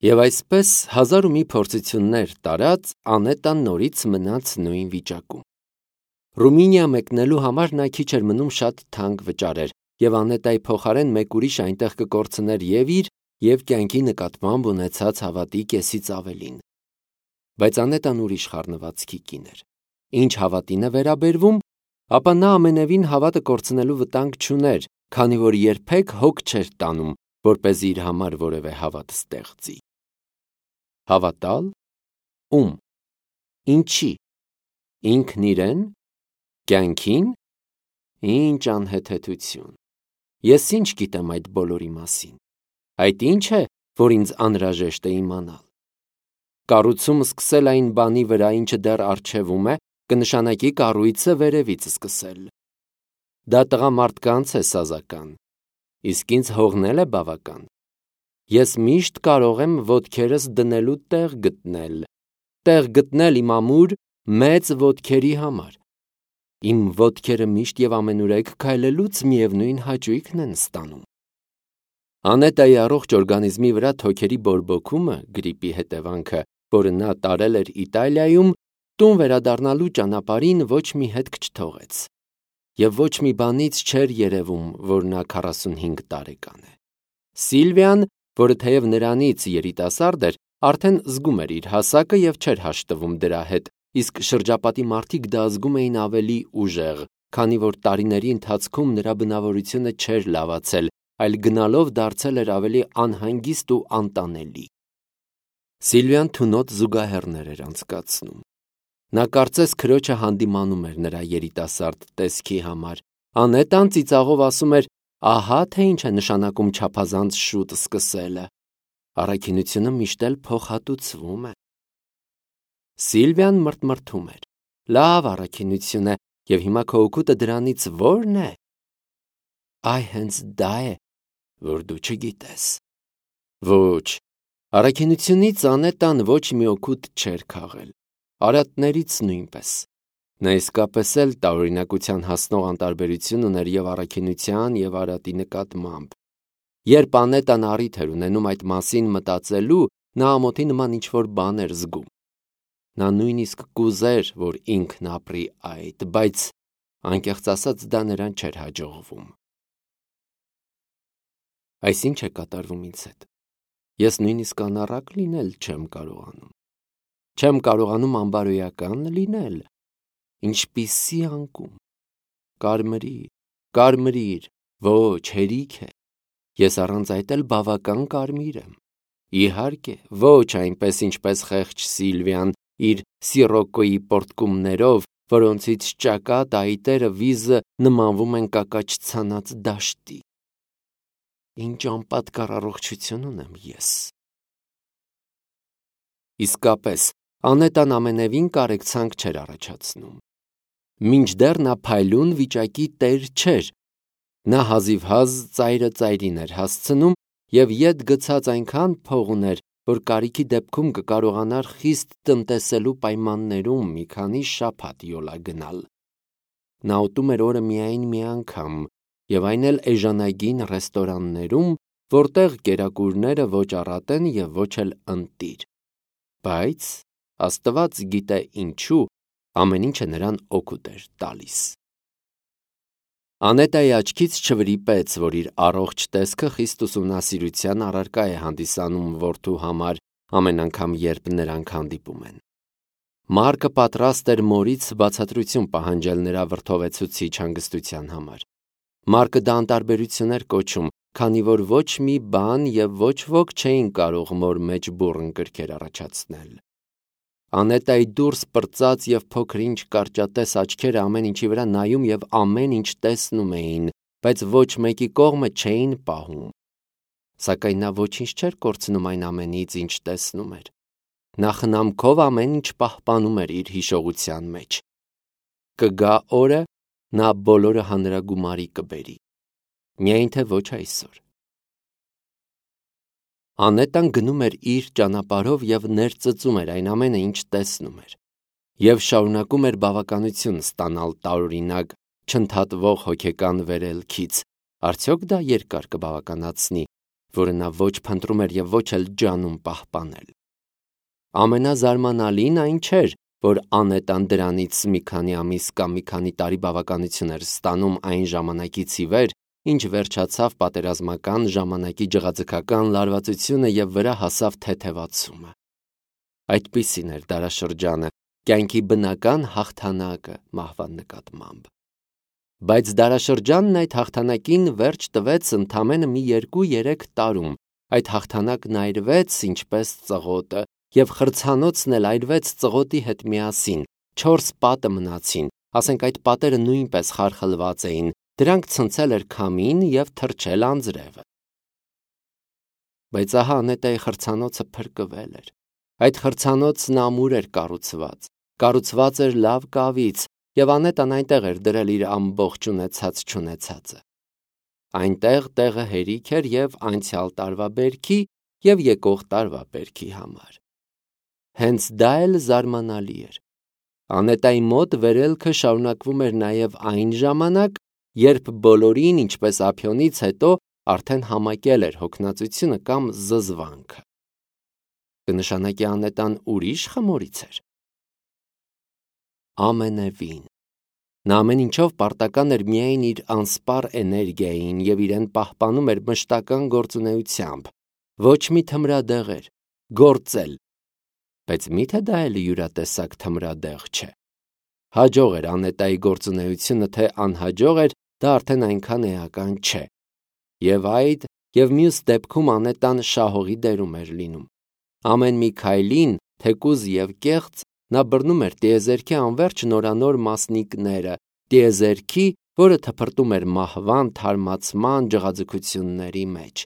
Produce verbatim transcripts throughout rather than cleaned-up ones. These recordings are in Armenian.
Եվ այսպես հազար ու մի փորձություններ տարած Անետան նորից մնաց նույն վիճակում։ Ռումինիա մեկնելու համար նա քիչ էր մնում շատ թանկ վճարեր, եւ Անետայի փոխարեն մեկ ուրիշ այնտեղ կկորցներ եւ իր եւ կյանքի նկատմամբ ունեցած հավատի կեսից ավելին։ Բայց Անետան ուրիշ խառնվածքի կին էր։ Ինչ հավատին է վերաբերվում, ապա նա ամենևին հավատը կորցնելու վտանգ չուներ, քանի որ երբեք հոգ չէր տանում, որպեսզի իր համար որևէ հավատ ստեղծի։ Հավատալ ում, ինչի, ինքն իրեն, կյանքին, ինչ անհեթեթություն։ Ես ինչ գիտեմ այդ բոլորի մասին։ Այդ ինչ է, որ ինձ անհրաժեշտ է իմանալ։ Կառուցում սկսել այն բանի վրա, ինչը դեռ առջևում է, կնշանակի կառույցը վերևից սկսել։ Դա տղամարդկանց է սազական, իսկ ինձ հողնել է բավական։ Ես միշտ կարող եմ ոտքերս դնելու տեղ գտնել, տեղ գտնել իմ ամուր մեծ ոտքերի համար։ Իմ ոտքերը միշտ եւ ամենուրեք քայլելուց միևնույն հաճույքն են ստանում։ Անետայի առողջ օրգանիզմի վրա թոքերի բորբոքումը, գրիպի հետևանքը, որը նա տարել էր Իտալիայում, տուն վերադառնալու ճանապարհին ոչ մի հետք չթողեց։ Եվ ոչ մի բանից չէր երևում, որ նա քառասունհինգ տարեկան է։ Սիլվիան, որը թեև նրանից երիտասարդ էր, արդեն զգում էր իր հասակը եւ չէր հաշտվում դրա հետ, իսկ շրջապատի մարդիկ դա զգում էին ավելի ուժեղ, քանի որ տարիների ընթացքում նրա բնավորությունը չէր լավացել, այլ գնալով դարձել էր ավելի անհանգիստ ու անտանելի։ Սիլվիան թունոտ զուգահեռներ էր անցկացնում։ Նա կարծես քրոջը հանդիմանում էր նրա երիտասարդ տեսքի համար։ Անետան ծիծաղով ասում էր. «Ահա թե ինչ է նշանակում չափազանց շուտ սկսելը։ Առաքինությունը միշտ էլ փոխհատուցվում է»։ Սիլվիան մրթմրթում էր. «Լավ առաքինություն է, եւ հիմա քո օգուտը դրանից ո՞րն է»։ Այ հենց դա է, որ դու չգիտես։ Ոչ, առաքինությունից Անետան ոչ մի օգուտ չէր քաղել, արատներից նույնպես։ Նա իսկապես էլ տարօրինակության հասնող անտարբերություն ուներ եւ առաքինության եւ արատի նկատմամբ։ Երբ Անետան առիթ էր ունենում այդ մասին մտածելու, նա ամոթի նման ինչ-որ բան էր զգում։ Նա նույնիսկ կուզեր, որ ինքն ապրի այդ, բայց անկեղծ ասած դա նրան չէր հաջողվում։ Այս ինչ է կատարվում ինձ հետ։ Ես նույնիսկ անառակ լինել չեմ կարողանում։ Չեմ կարողանում անբարոյական լինել։ Ինչպիսի անկում։ Կարմրիր, կարմրիր, ոչ, հերիք է։ Ես առանց այդ էլ բավական կարմիր եմ։ Իհարկե, ոչ այնպես, ինչպես խեղճ Սիլվիան իր սիրոկոյի պորտկումներով, որոնցից ճակատ այտերը վիզը նմանվում են կակաչ ցանած դաշտի։ Ինչ անպատկառ առողջություն ունեմ ես։ Իսկապես, Անետան ամենևին կարեկցանք չէր առաջացնում։ Մինչդեռ նա փայլուն վիճակի տեր չէր։ Նա հազիվհազ ծայրը ծայրին էր հասցնում եւ ետ գցած այնքան փող ուներ, որ կարիքի դեպքում կկարողանար խիստ տնտեսելու պայմաններում մի քանի շաբաթ յոլա գնալ։ Նա ուտում էր օրը միայն մի անգամ, եւ այն էլ էժանագին ռեստորաններում, որտեղ կերակուրները ոչ առատ են եւ ոչ էլ ընտիր։ Բայց Աստված գիտե ինչու, ամեն ինչը նրան օգուտ էր տալիս։ Անետայի աչքից չվրիպեց, որ իր առողջ տեսքը խիստ ուսումնասիրության առարկա է հանդիսանում որդու համար ամեն անգամ, երբ նրանք հանդիպում են։ Մարկը պատրաստ էր մորից բացատրություն պահանջել նրա վրդովեցուցիչ հանգստության համար։ Մարկը դա անտարբերություն էր կոչում, քանի որ ոչ մի բան եւ ոչ ոք չէին կարող մոր մեջ բուռն կրքեր առաջացնել։ Անետայի դուրս պրծած եւ փոքրինչ կարճատես աչքերը ամեն ինչի վրա նայում եւ ամեն ինչ տեսնում էին, բայց ոչ մեկի կողմը չէին պահում։ Սակայն նա ոչինչ չէր կորցնում այն ամենից, ինչ տեսնում էր։ Նա խնամքով ամեն ինչ պահպանում էր իր հիշողության մեջ։ Կգա օրը, նա բոլորը հանրագումարի կբերի։ Միայն թե ոչ այսօր։ Անետան գնում էր իր ճանապարհով եւ ներծծում էր այն ամենը, ինչ տեսնում էր, եւ շարունակում էր բավականություն ստանալ տարօրինակ, չընդհատվող հոգեկան վերելքից։ Արդյոք դա երկար կբավականացնի, որը նա ոչ փնտրում էր և ոչ էլ ջանում պահպանել։ Ամենազարմանալին այն չէր, որ Անետան դրանից մի քանի ամիս կամ մի քանի տարի բավականություն էր ստանում այն ժամանակից ի վեր, ինչ վերջացավ պատերազմական ժամանակի ջղաձգական լարվածությունը և վրա հասավ թեթևացումը։ Այդպիսին էր դարաշրջանը, կյանքի բնական հաղթանակը մահվան նկատմամբ։ Բայց դարաշրջանն այդ հաղթանակին վերջ տվեց ընդամենը մի երկու-երեք տարում, այդ հաղթանակն այրվեց ինչպես ծղոտը, և խրցանոցն էլ այրվեց ծղոտի հետ միասին, չորս պատը մնացին, ասենք այդ պատերը նույնպես խարխլված էին, դրանք ցնցել էր քամին և թրջել անձրևը։ Բայց ահա Անետայի խրցանոցը փրկվել էր։ Այդ խրցանոցն ամուր էր կառուցված, կառուցված էր լավ կավից, և Անետան այնտեղ էր դրել իր ամբողջ ունեցած-չունեցածը։ Այնտեղ տեղը հերիք էր և անցյալ տարվա բերքի, և եկող տարվա բերքի համար։ Հենց դա էլ զարմանալի էր։ Անետայի մոտ վերելքը շարունակվում էր նաև այն ժամանակ, երբ բոլորին, ինչպես Ափիոնից հետո, արդեն համակել էր հոգնածությունը կամ զզվանքը։ Կնշանակի Անետան ուրիշ խմորից էր։ Ամենևին։ Նա ամեն ինչով պարտական էր միայն իր անսպառ էներգիային և իրեն պահպանում էր մշտական գործունեությամբ, ոչ մի թմրադեղեր, գործել։ Բայց միթե դա էլ յուրատեսակ թմրադեղ չէ։ Հաջող էր Անետայի գործունեությունը, թե անհաջող էր, դա արդեն այնքան էական չէ։ Եվ այդ, և մյուս դեպքում Անետան շահողի դերում էր լինում։ Ամեն մի քայլին, թեկուզ և կեղծ, նա բռնում էր տիեզերքի անվերջ նորանոր մասնիկները, տիեզերքի, որը թփրտում էր մահվան թարմացման ջղաձգությունների մեջ,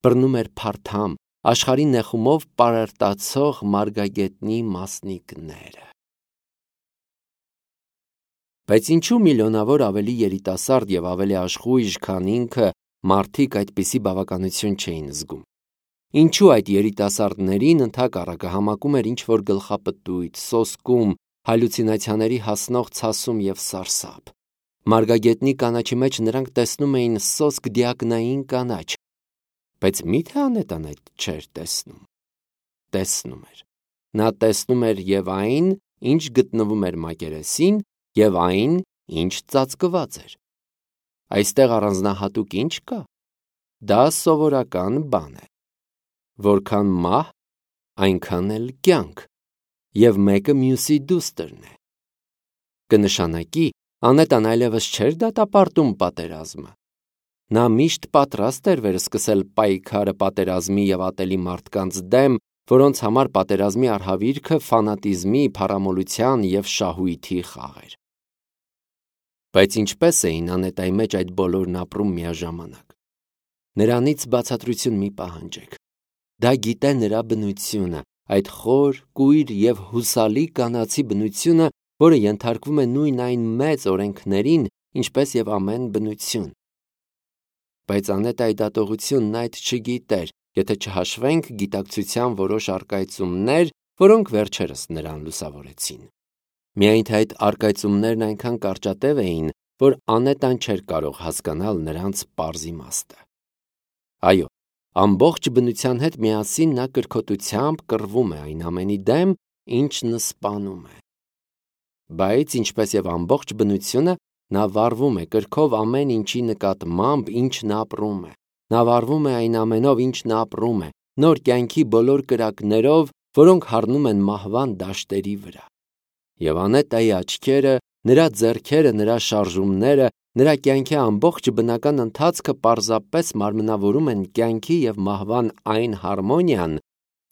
բռնում էր փարթամ, աշխարհի նեխումով պարարտացող մարգագետնի մասնիկները։ Բայց ինչու միլիոնավոր ավելի երիտասարդ և ավելի աշխույժ, քան ինքը, մարդիկ այդպիսի բավականություն չէին զգում։ Ինչու այդ երիտասարդներին ընդհակառակը համակում էր ինչ-որ գլխապտույտ, սոսկում, հալյուցինացիաների հասնող ցասում և սարսափ։ Մարգագետնի կանաչի մեջ նրանք տեսնում էին սոսկ դիակնային կանաչ։ Բայց միթե Անետան այդ չէր տեսնում։ Տեսնում էր։ Նա տեսնում էր և այն, ինչ գտնվում էր մակերեսին, և այն, ինչ ծածկված էր։ Այստեղ առանձնահատուկ ինչ կա։ Դա սովորական բան է։ Որքան մահ, այնքան էլ կյանք, և մեկը մյուսի դուստրն է։ Կնշանակի, Անետան այլևս չէր դատապարտում պատերազմը։ Նա միշտ պատրաստ էր վերսկսել պայքարը պատերազմի և ատելի մարդկանց դեմ, որոնց համար պատերազմի արհավիրքը ֆանատիզմի, փառամոլության և շահույթի խաղ էր։ Բայց ինչպե՞ս էին Անետայի մեջ այդ բոլորն ապրում միաժամանակ։ Նրանից բացատրություն մի պահանջեք։ Դա գիտե նրա բնությունը, այդ խոր, կույր և հուսալի կանացի բնությունը, որը ենթարկվում է նույն այն մեծ օրենքներին, ինչպես և ամեն բնություն։ Բայց Անետայի դատողությունն այդ չգիտեր, եթե չհաշվենք գիտակցության որոշ առկայծումներ, որոնք վերջերս նրան լուսավորեցին։ Միայն թե այդ առկայծումներն այնքան կարճատև էին, որ Անետան չէր կարող հասկանալ նրանց պարզ իմաստը։ Այո, ամբողջ բնության հետ միասին նա կրքոտությամբ կռվում է այն ամենի դեմ, ինչն սպանում է։ Բայց, ինչպես և ամբողջ բնությունը, նա վառվում է կրքով ամեն ինչի նկատմամբ, ինչն ապրում է։ Նա վառվում է այն ամենով, ինչն ապրում է, նոր կյանքի բոլոր կրակներով, որոնք հառնում են մահվան դաշտերի վրա։ Եվ Անետայի աչքերը, նրա ձեռքերը, նրա շարժումները, նրա կյանքի ամբողջ բնական ընթացքը պարզապես մարմնավորում են կյանքի և մահվան այն հարմոնիան,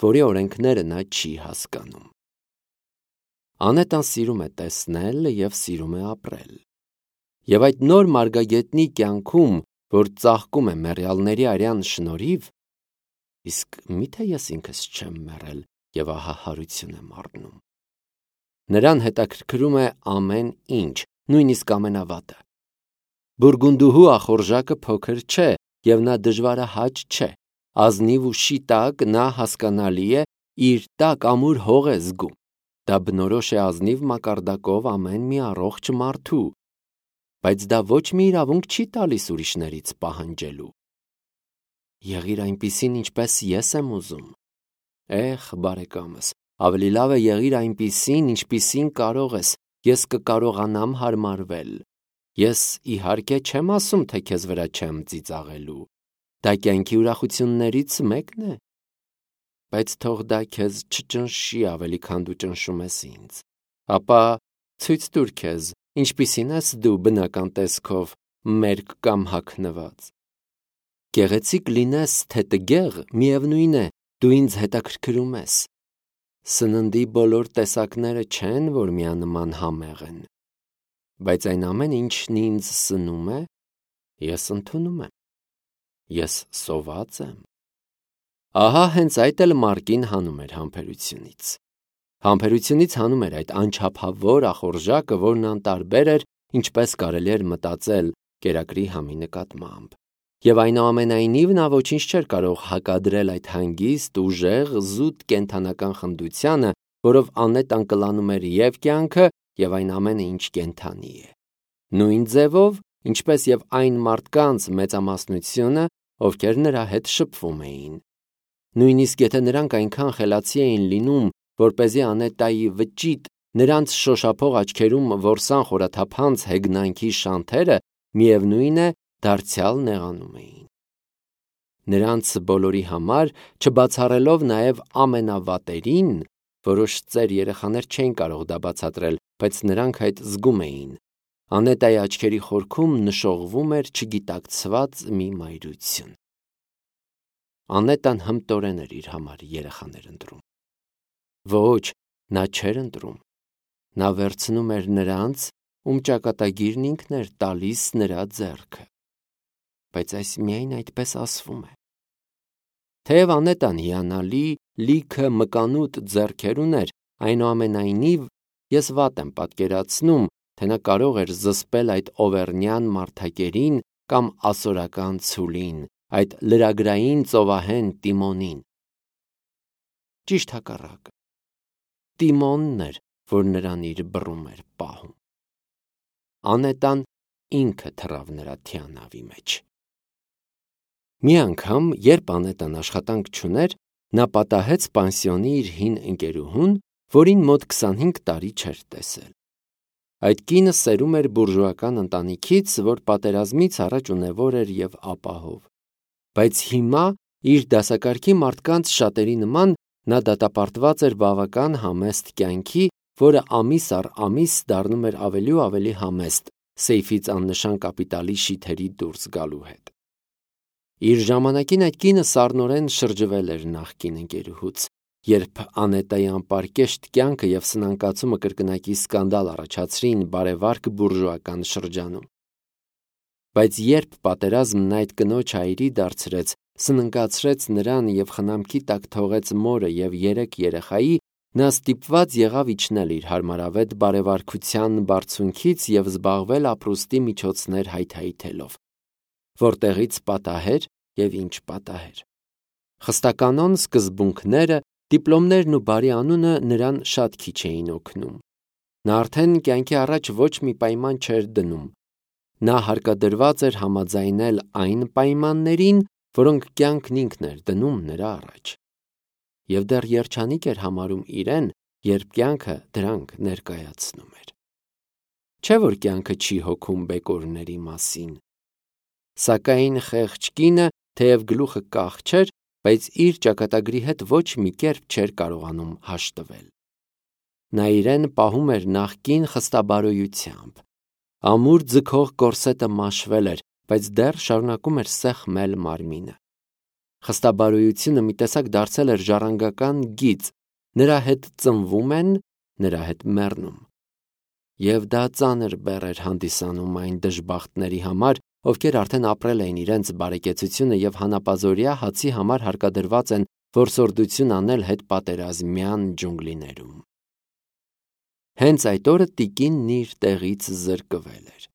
որի օրենքները նա չի հասկանում։ Անետան սիրում է տեսնել և սիրում է ապրել։ Եվ այդ նոր մարգագետնի կյանքում, որ ծաղկում է մեռյալների արյան շնորհիվ, իսկ միթե ես ինքս չեմ մեռել և ահա հարություն եմ առնում։ Նրան հետաքրքրում է ամեն ինչ, նույնիսկ ամենավատը։ Բուրգունդուհու ախորժակը փոքր չէ, և նա դժվարահաճ չէ։ Ազնիվ ու շիտակ նա, հասկանալի է, իր տակ ամուր հող է զգում։ Դա բնորոշ է ազնիվ մակարդակով ամեն մի առողջ մարդու։ Բայց դա ոչ մի իրավունք չի տալիս ուրիշներից պահանջելու։ Եղիր այնպիսին, ինչպես ես եմ ուզում։ Էխ, բարեկամս, ավելի լավ է եղիր այնպիսին, ինչպիսին կարող ես, ես կկարողանամ հարմարվել։ Ես իհարկե չեմ ասում, թե քեզ վրա չեմ ծիծաղելու։ Դա կյանքի ուրախություններից մեկն է։ Բայց թող դա քեզ չճնշի ավելի, քան դու ճնշում ես ինձ։ Ապա ցույց տուր քեզ, ինչպիսին ես դու բնական տեսքով, մերկ կամ հագնված։ Գեղեցիկ լինես, թե տգեղ, միևնույն է, դու ինձ հետաքրքրում ես։ Սննդի բոլոր տեսակները չեն, որ միանման համեղ են։ Բայց այն ամեն ինչն ինձ սնում է, ես ընդունում եմ։ Ես սոված եմ։ Ահա հենց այդ էլ Մարկին հանում էր համբերությունից։ Համբերությունից հանում էր այդ անչափավոր ախորժակը, որն անտարբեր էր, ինչպես կարելի էր մտածել կերակրի համի նկատմամբ։ Եվ այնուամենայնիվ նա ոչինչ չէր կարող հակադրել այդ հանգիստ, ուժեղ, զուտ կենդանական խնդությանը, որով Անետան կլանում էր և կյանքը, և այն ամենը, ինչ կենդանի է։ Նույն ձևով, ինչպես և այն մարդկանց մեծամասնությունը, ովքեր նրա հետ շփվում էին։ Նույնիսկ եթե նրանք այնքան խելացի էին լինում, որպեսզի Անետայի վճիտ, նրանց շոշափող աչքերում որսան խորաթափանց հեգնանքի շանթերը, միևնույն է, դարձյալ նեղանում էին։ Նրանց բոլորի համար, չբացառելով նաև ամենավատերին, որոշ ծեր երեխաներ չէին կարող դա բացատրել, բայց նրանք այդ զգում էին, Անետայի աչքերի խորքում նշողվում էր չգիտակցված մի մայրություն։ Անետան հմտորեն էր իր համար երեխաներ ընտրում։ Ոչ, նա չէր ընտրում։ Նա վերցնում էր նրանց, ում ճակատագիրն ինքն էր տալիս նրա ձեռքը։ Բայց այս միայն այդպես ասվում է։ Թեև Անետան հիանալի, լիքը մկանուտ ձեռքեր ուներ, այնուամենայնիվ ես վատ եմ պատկերացնում, թե նա կարող էր զսպել այդ օվերնյան մարդակերին կամ ասորական ցուլին, այդ լրագրային ծովահեն Տիմոնին։ Ճիշտ հակառակը։ Տիմոնն էր, որ նրան իր բռում էր պահում։ Անետան ինքը թռավ նրա թիանավի մեջ։ Մի անգամ, երբ Անետան աշխատանք չուներ, նա պատահեց պանսիոնի իր հին ընկերուհուն, որին մոտ քսանհինգ տարի չէր տեսել։ Այդ կինը սերում էր բուրժուական ընտանիքից, որ պատերազմից առաջ ունևոր էր և ապահով։ Բայց հիմա, իր դասակարգի մարդկանց շատերի նման, նա դատապարտված էր բավական համեստ կյանքի, որը ամիս առ ամիս դառնում էր ավելի ու ավելի համեստ, սեյֆից աննշան կապիտալի շիթերի դուրս գալու հետ։ Իր ժամանակին այդ կինը սառնորեն շրջվել էր նախկին ընկերուհուց, երբ Անետայի անպարկեշտ կյանքը և սնանկացումը կրկնակի սկանդալ առաջացրին բարեվարք բուրժուական շրջանում։ Բայց երբ պատերազմն այդ կնոջ հայրի դարձրեց, սնանկացրեց նրան և խնամքի տակ թողեց մորը և երեք երեխայի, նա ստիպված եղավ իջնել իր հարմարավետ բարեվարքության բարձունքից և զբաղվել ապրուստի միջոցներ հայթայթելով։ Որտեղից պատահեր և ինչ պատահեր։ Խստականոն սկզբունքները, դիպլոմներն ու բարի անունը նրան շատ քիչ էին օգնում։ Նա արդեն կյանքի առաջ ոչ մի պայման չէր դնում։ Նա հարկադրված էր համաձայնել այն պայմաններին, որոնք կյանքն ինքն էր դնում նրա առաջ։ Եվ դեռ երջանիկ էր համարում իրեն, երբ կյանքը դրանք ներկայացնում էր։ Չէ՞ որ կյանքը չի հոգում բեկորների մասին։ Սակայն խեղճ կինը, թեև գլուխը կախ չէր, բայց իր ճակատագրի հետ ոչ մի կերպ չէր կարողանում հաշտվել։ Նա իրեն պահում էր նախկին խստաբարոյությամբ։ Ամուր ձգող կորսետը մաշվել էր, բայց դեռ շարունակում էր սեղմել մարմինը։ Խստաբարոյությունը մի տեսակ դարձել էր ժառանգական գիծ, նրա հետ ծնվում են, նրա հետ մեռնում։ Եվ դա ծանր բեռ էր հանդիսանում այն դժբախտների համար, ովքեր արդեն ապրել էին իրենց բարեկեցությունը և հանապազօրյա հացի համար հարկադրված են որսորդություն անել հետպատերազմյան ջունգլիներում։ Հենց այդ օրը տիկինն իր տեղից զրկվել էր։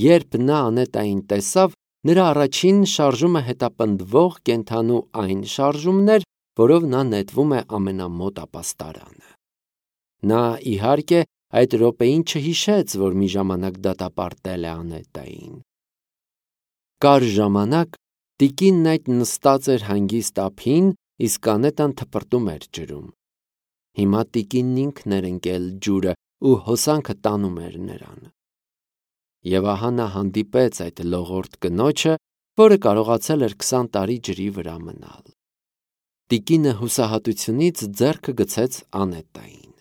Երբ նա Անետային տեսավ, նրա առաջին շարժումը հետապնդվող կենդանու այն շարժումն էր, որով նա նետվում է ամենամոտ ապաստարանը։ Նա, իհարկե, այդ րոպեին չհիշեց, որ մի ժամանակ դատապարտել է Անետային։ Կար ժամանակ, Տիկինն այդ նստած էր հանգիստ ափին, իսկ Անետան թպրտում էր ջրում։ Հիմա տիկինն ինքն էր ընկել ջուրը ու հոսանքը տանում էր նրան։ Եվ ահա նա հանդիպեց այդ լողորդ կնոջը, որը կարողացել էր քսան տարի ջրի վրա մնալ։ Տիկինը հուսահատությունից ձեռքը գցեց Անետային։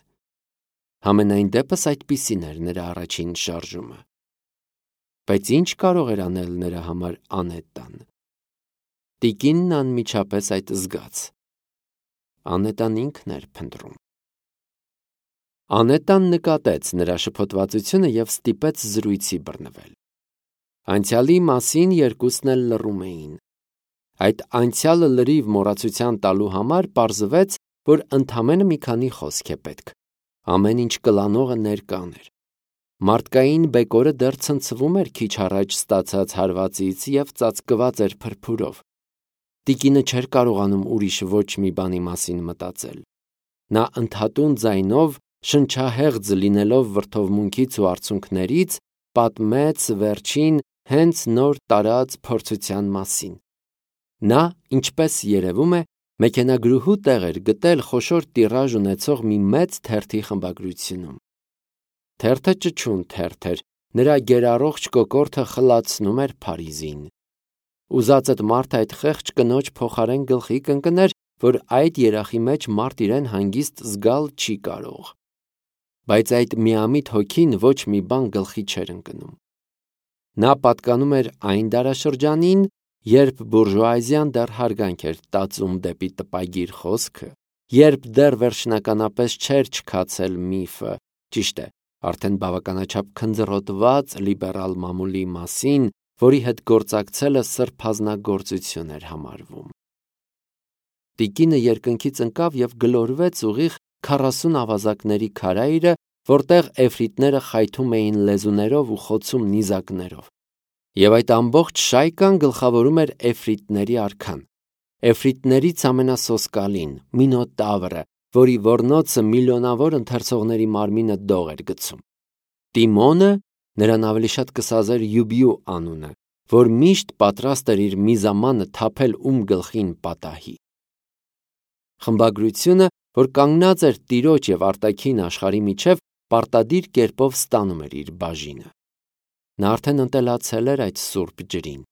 Համենայն դեպս այդպիսին էր նրա առաջին շարժումը։ Բայց ինչ կարող էր անել նրա համար Անետան։ Տիկինն անմիջապես այդ զգաց։ Անետան ինքն էր փնտրում։ Անետան նկատեց նրա շփոթվածությունը և ստիպեց զրույցի բռնվել։ Անցյալի մասին երկուսն էլ լռում էին։ Այդ անցյալը լրիվ մոռացության տալու համար պարզվեց, որ ընդամենը մի քանի խոսք է պետք։ Ամեն ինչ կլանողը ներկան էր։ Մարդկային բեկորը դեռ ցնցվում էր քիչ առաջ ստացած հարվածից և ծածկված էր փրփուրով։ Տիկինը չէր կարողանում ուրիշ ոչ մի բանի մասին մտածել։ Նա ընդհատուն ձայնով, շնչահեղձ լինելով վրդովմունքից ու արցունքներից, պատմեց վերջին հենց նոր տարած փորձության մասին։ Նա, ինչպես երևում է, մեքենագրուհու տեղ էր գտել խոշոր տիրաժ ունեցող մի մեծ թերթի խմբագրությունում։ Թերթը ճչուն թերթ էր, նրա գերառողջ կոկորդը խլացնում էր Փարիզին։ Ուզածդ մարդ այդ խեղճ կնոջ փոխարեն գլխի կընկներ, որ այդ երախի մեջ մարդ իրեն հանգիստ զգալ չի կարող։ Բայց այդ միամիտ հոգին ոչ մի բան գլխի չէր ընկնում։ Նա պատկանում էր այն դարաշրջանին, երբ բուրժուազիան դեռ հարգանք էր տածում դեպի տպագիր խոսքը, երբ դեռ վերջնականապես չէր չքացել միֆը, ճիշտ է, արդեն բավականաչափ քնձռոտված լիբերալ մամուլի մասին, որի հետ գործակցելը սրբազնագործություն էր համարվում։ Տիկինը երկնքից ընկավ և գլորվեց ուղիղ քառասուն ավազակների քարայրը, որտեղ էֆրիտները խայթում էին լեզուներով ու խոցում նիզակներով։ Եվ այդ ամբողջ շայկան գլխավորում էր էֆրիտների արքան, էֆրիտներից ամենասոսկալին, Մինոտավրը, որի ոռնոցը միլիոնավոր ընթերցողների մարմինը դող էր գցում։ Տիմոնը, նրան ավելի շատ կսազեր Յուբիու անունը, որ միշտ պատրաստ էր իր միզամանը թափել ում գլխին պատահի։ Խմբագրությունը, որ կանգնած էր տիրոջ և արտաքին աշխարհի միջև, պարտադիր կերպով ստանում էր իր բաժինը։ Նա արդեն ընտելացել էր այդ սուրբ ջրին։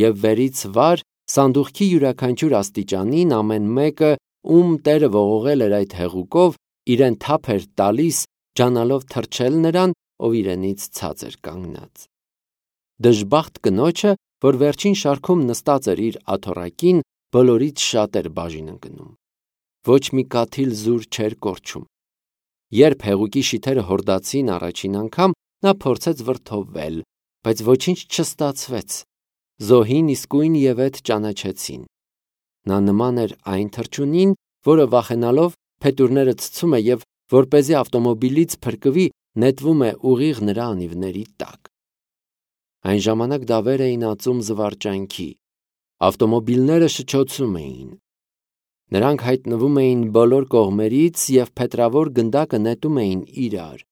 Եվ վերից վար, սանդուղքի յուրաքանչյուր աստիճանին ամեն մեկը, ում տերը ողողել էր այդ հեղուկով, իրեն թափ էր տալիս, ջանալով թրջել նրան, ով իրենից ցած էր կանգնած։ Դժբախտ կնոջը, որ վերջին շարքում նստած էր իր աթոռակին, բոլորից շատ էր բաժին ընկնում։ Ոչ մի կաթիլ զուր չէր կորչում։ Երբ հեղուկի շիթերը հորդացին առաջին անգամ, նա փորձեց վրդովվել, բայց ոչինչ չստացվեց։ Զոհին իսկույն ևեթ ճանաչեցին։ Նա նման էր այն թռչունին, որը վախենալով փետուրները ցցում է և, որպեսզի ավտոմոբիլից փրկվի, նետվում է ուղիղ նրա անիվների տակ։ Այն ժամանակ դավեր էին ածում զվարճանքի։ Ավտոմոբիլները շչոցում էին։ Նրանք հայտնվում էին բոլոր կողմերից և փետրավոր գնդակը նետում էին իրար։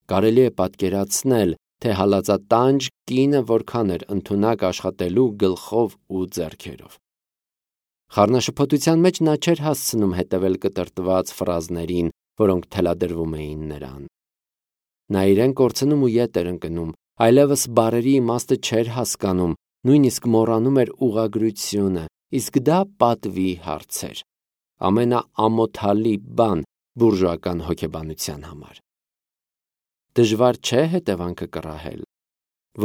Կարելի է պատկերացնել, թե հալածատանջ կինը որքան էր ընդունակ աշխատելու գլխով ու ձեռքերով։ Խառնաշփոթության մեջ նա չէր հասցնում հետևել կտրտված ֆրազներին, որոնք թելադրվում էին նրան։ Նա իրեն կորցնում ու ետ էր ընկնում, այլևս բառերի իմաստը չէր հասկանում, նույնիսկ մոռանում էր ուղղագրությունը, իսկ դա պատվի հարց էր, ամենաամոթալի բան բուրժուական հոգեբանության համար։ Դժվար չէ հետևանքը կռահել։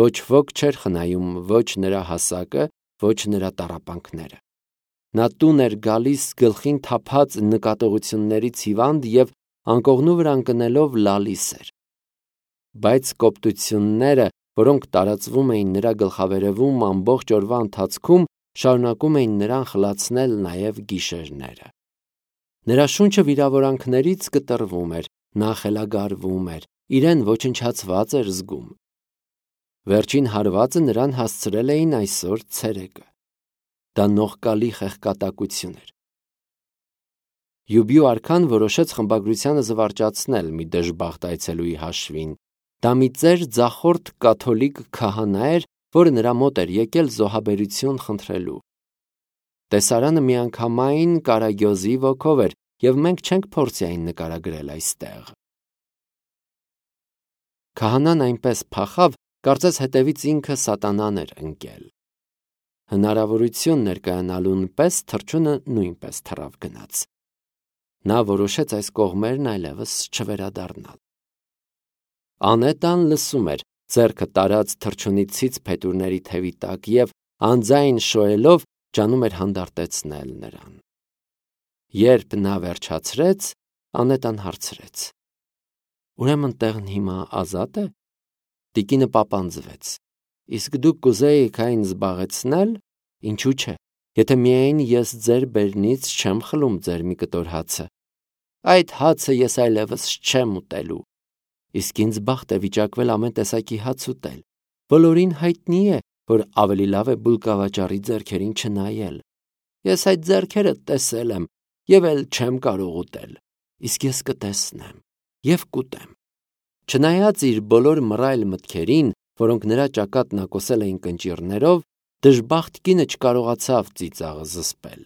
Ոչ ոք չէր խնայում ոչ նրա հասակը, ոչ նրա տառապանքները։ Նա տուն էր գալիս գլխին թափած նկատողություններից հիվանդ և անկողնու վրա ընկնելով լալիս էր։ Բայց կոպտությունները, որոնք տարածվում էին նրա գլխավերևում ամբողջ օրվա ընթացքում, շարունակում էին նրան խլացնել նաև գիշերները։ Նրա շունչը վիրավորանքներից կտրվում էր, նա խելագարվում էր, իրեն ոչնչացված էր զգում։ Վերջին հարվածը նրան հասցրել էին այսօր ցերեկը։ Դա նողկալի խեղկատակություն էր։ Յուբիու արքան որոշեց խմբագրությանը զվարճացնել մի դժբախտ այցելուի հաշվին։ Դա մի ծեր ձախորդ կաթոլիկ քահանա էր, որը նրա մոտ էր եկել զոհաբերություն խնդրելու։ Տեսարանը միանգամայն կարագյոզի ոգով էր, և մենք չենք փորձի այն նկարագրել այստեղ։ Քահանան այնպես փախավ, կարծես հետևից ինքը սատանան էր ընկել։ Հնարավորություն ներկայանալուն պես թռչունը նույնպես թռավ գնաց։ Նա որոշեց այս կողմերն այլևս չվերադառնալ։ Անետան լսում էր, ձեռքը տարած թռչունի ցից փետուրների թևի տակ և անձայն շոյելով ջանում էր հանդարտեցնել նրան։ Երբ նա վերջացրեց, Անետան հարցրեց. «Ուրեմն տեղն հիմա ազատ է»։ Տիկինը պապանձվեց. «Իսկ դուք կուզեիք այն զբաղեցնել, ինչու՞ չէ, եթե միայն ես ձեր բերնից չեմ խլում ձեր մի կտոր հացը։ Այդ հացը ես այլևս չեմ ուտելու։ Իսկ ինձ բախտ է վիճակվել ամեն տեսակի հաց ուտել։ Բոլորին հայտնի է, որ ավելի լավ է բուլկավաճառի ձեռքերին չնայել։ Ես այդ ձեռքերը տեսել եմ և էլ չեմ կարող ուտել, իսկ ես կտեսնեմ և կուտեմ»։ Չնայած իր բոլոր մռայլ մտքերին, որոնք նրա ճակատն ակոսել էին կնճիռներով, դժբախտ կինը չկարողացավ ծիծաղը զսպել։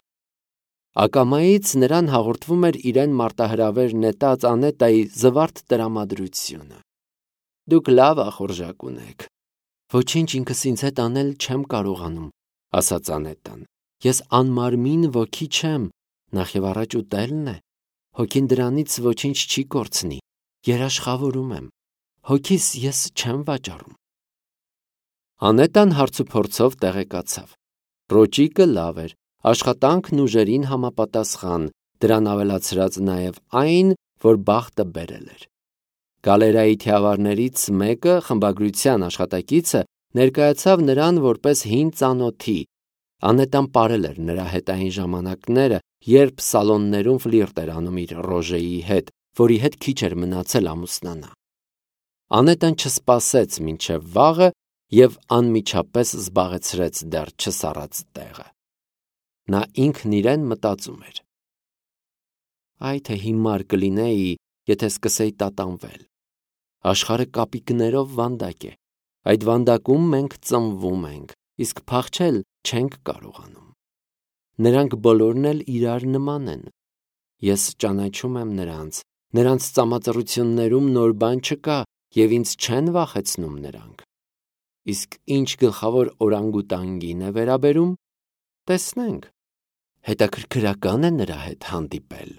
Ակամայից նրան հաղորդվում էր իրեն մարտահրավեր նետած Անետայի զվարթ տրամադրությունը։ «Դուք լավ ախորժակ ունեք»։ «Ոչինչ ինքս ինձ հետ անել չեմ կարողանում», ասաց Անետան։ «Ես անմարմին ոգի չեմ, նախևառաջ ուտելն է։ Հոգին դրանից ոչինչ չի կորցնի, երաշխավորում եմ, հոգիս ես չեմ վաճառում»։ Անետան հարցուփորձով տեղեկացավ։ Ռոճիկը լավ էր, աշխատանքն ուժերին համապատասխան, դրան ավելացրած նաև այն, որ բախտը բերել էր։ Գալերայի թիավարներից մեկը, խմբագրության աշխատակիցը, ներկայացավ նրան որպես հին ծանոթի։ Անետան պարել էր նրա հետ այն ժամանակները, երբ սալոններում ֆլիրտ էր անում իր Ռոժեի հետ, որի հետ քիչ էր մնացել ամուսնանա։ Անետան չսպասեց մինչև վաղը և անմիջապես զբաղեցրեց դեռ չսառած տեղը։ Նա ինքն իրեն մտածում էր. «Այ թե հիմար կլինեի, եթե սկսեի տատանվել։ Աշխարհը կապիկներով վանդակ է։ Այդ վանդակում մենք ծնվում ենք, իսկ փախչել չենք կարողանում։ Նրանք բոլորն էլ իրար նման են։ Ես ճանաչում եմ նրանց, նրանց ծամածռություններում նոր բան չկա և ինձ չեն վախեցնում նրանք։ Իսկ ինչ գլխավոր օրանգուտանգին է վերաբերում, տեսնենք։ Հետաքրքրական է նրա հետ հանդիպել»։